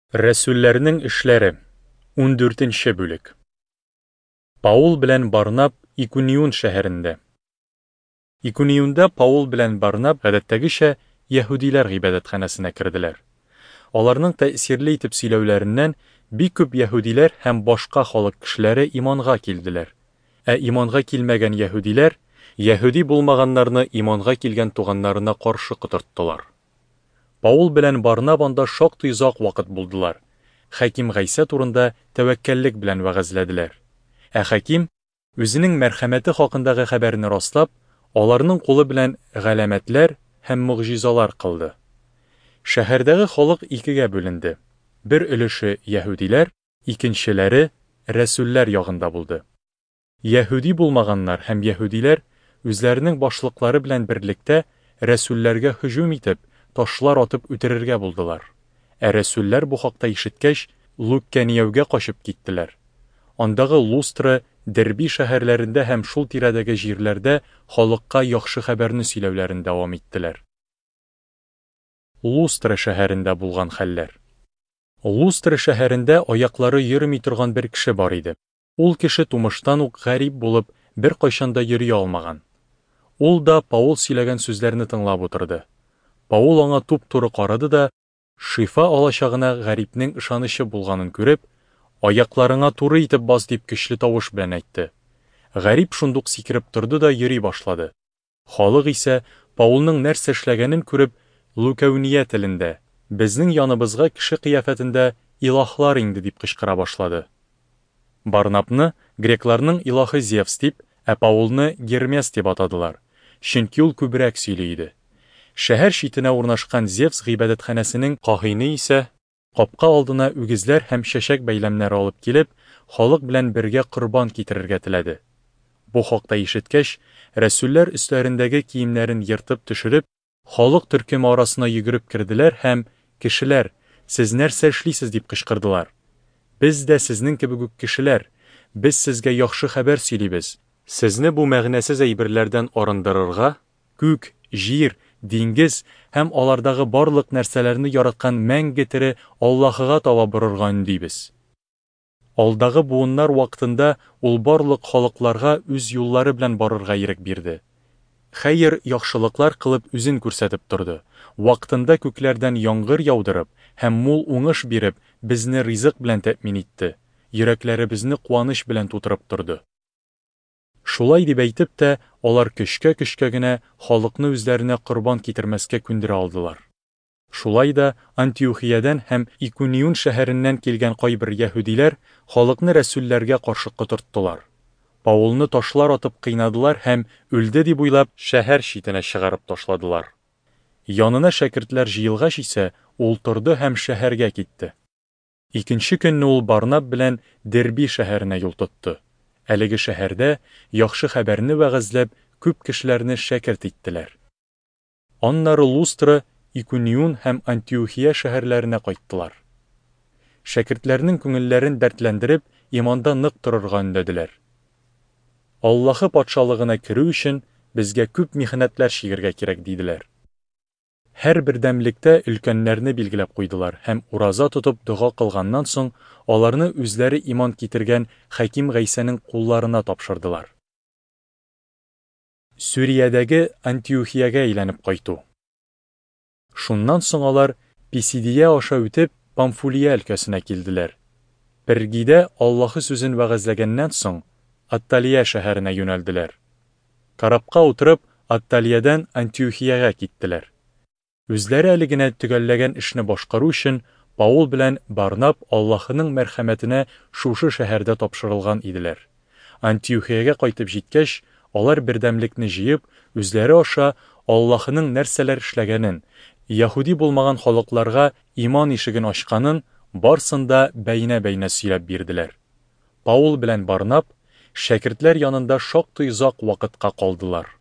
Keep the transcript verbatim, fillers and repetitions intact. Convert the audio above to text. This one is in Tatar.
Рәсүлләрнең эшләре, ундүртенче бүлек. Паул белән Барнаб Икуниун шәһәрендә. Икуниунда Паул белән Барнаб гадәттәгечә яһүдиләр гыйбадәтханәсенә керделәр. Аларның тәэсирле итеп сөйләүләреннән бик күп яһүдиләр һәм башка халык кешеләре иманга килделәр. Ә иманга килмәгән яһүдиләр яһүди булмаганнарны иманга килгән туганнарына каршы котырттылар. Паул белән Барнаб анда шактый озак вакыт булдылар. Хаким Гайсә турында тәвәккәллек белән вәгазьләделәр. Ә хаким, үзенең мәрхәмәте хакындагы хәбәрне раслап, аларның кулы белән галәмәтләр һәм могҗизалар кылды. Шәһәрдәге халык икегә бүленде. Бер өлеше яһүдиләр, икенчеләре рәсүлләр ягында булды. Яһүди булмаганнар һәм яһүдиләр үзләренең башлыклары белән берлектә рәсүлләргә һөҗүм итеп, ташлар атып үтерергә булдылар. Ә рәсүлләр бу хакта ишеткәч, Луккәнияүгә качып киттеләр. Андагы Лустра, Дерби шәһәрләрендә һәм шул тирәдәге җирләрдә халыкка яхшы хәбәрне сөйләүләрен дәвам иттеләр. Лустра шәһәрендә булган хәлләр. Лустра шәһәрендә аяклары йөрми торган бер кеше бар иде. Ул кеше тумыштан ук гарип булып, беркайчан да йөри алмаган. Ул да Паул сөйләгән сүзләрне тыңлап утырды. Паул аңа туп-туры карады да, шифа алачагына гарипнең ышанычы булганын күреп, аякларыңа туры итеп бас дип көчле тавыш белән әйтте. Гарип шундук сикереп торды да йөри башлады. Халык исә Паулның нәрсә эшләгәнен күреп, Лукәүния телендә: "Безнең яныбызга кеше кыяфәтендә илаһлар иңде" дип кычкыра башлады. Барнабны грекларның илаһы Зевс дип, ә Паулны Гермес дип атадылар, чөнки ул күбрәк сөйли иде. Шәһәр читенә урнашкан Зевс гыйбадәтханәсенең каһине исә капка алдына үгезләр һәм чәчәк бәйләмнәре алып килеп, халык белән бергә корбан китерергә теләде. Бу хакта ишеткәч, рәсүлләр өсләрендәге киемнәрен ертып төшереп, халык төркеме арасына йөгереп керделәр һәм: "Кешеләр, сез нәрсә эшлисез?" дип кычкырдылар. "Без дә сезнең кебек үк кешеләр, без сезгә яхшы хәбәр сөйлибез. Сезне бу мәгънәсез әйберләрдән арындырырга, күк, җир, диңгез һәм алардагы барлык нәрсәләрне яраткан мәңге тере Аллаһыга таба борырга өндибез. Алдагы буыннар вакытында ул барлык халыкларга үз юллары белән барырга ирек бирде. Хәер, яхшылыклар кылып үзен күрсәтеп торды. Вакытында күкләрдән яңгыр яудырып һәм мул уңыш биреп, безне ризык белән тәэмин итте. Йөрәкләребезне куаныч белән тутырып торды." Шулай дип әйтеп тә, алар көчкә-көчкә генә халыкны үзләренә корбан китермәскә күндерә алдылар. Шулай да Антиохиядән һәм Икуниун шәһәреннән килгән кайбер яһүдиләр халыкны рәсүлләргә каршы котырттылар. Паулны ташлар атып кыйнадылар һәм үлде дип уйлап, шәһәр читенә чыгарып ташладылар. Янына шәкертләр җыелгач исә, ул торды һәм шәһәргә китте. Икенче көнне ул Барнаб белән Дерби шәһәренә юл тотты. Әлеге шәһәрдә яхшы хәбәрне вәгазьләп, күп кешеләрне шәкерт иттеләр. Аннары Лустра, Икуниун һәм Антиохия шәһәрләренә кайттылар. Шәкертләрнең күңелләрен дәртләндереп, иманда нык торырга өндәделәр. Аллаһы патшалыгына керү өчен безгә күп михнәтләр чигергә кирәк, диделәр. Һәр бердәмлектә өлкәннәрне билгеләп куйдылар һәм ураза тотып дога кылганнан соң, аларны үзләре иман китергән Хаким Гайсәнең кулларына тапшырдылар. Сүриядәге Антиохиягә әйләнеп кайту. Шуннан соң алар Писидия аша үтеп, Памфулия өлкәсенә килделәр. Пергидә Аллаһы сүзен вәгазьләгәннән соң, Атталия шәһәренә юнәлделәр. Корабка утырып, Атталиядән Антиохиягә киттеләр. Үзләре әле генә төгәлләгән эшне башкару өчен Паул белән Барнаб Аллаһының мәрхәмәтенә шушы шәһәрдә тапшырылган иделәр. Антиохиягә кайтып җиткәч, алар бердәмлекне җыеп, үзләре аша Аллаһының нәрсәләр эшләгәнен, яһүди булмаган халыкларга иман ишеген ачканын барсын да бәйнә-бәйнә сөйләп бирделәр. Паул белән Барнаб шәкертләр янында шактый озак вакытка калдылар.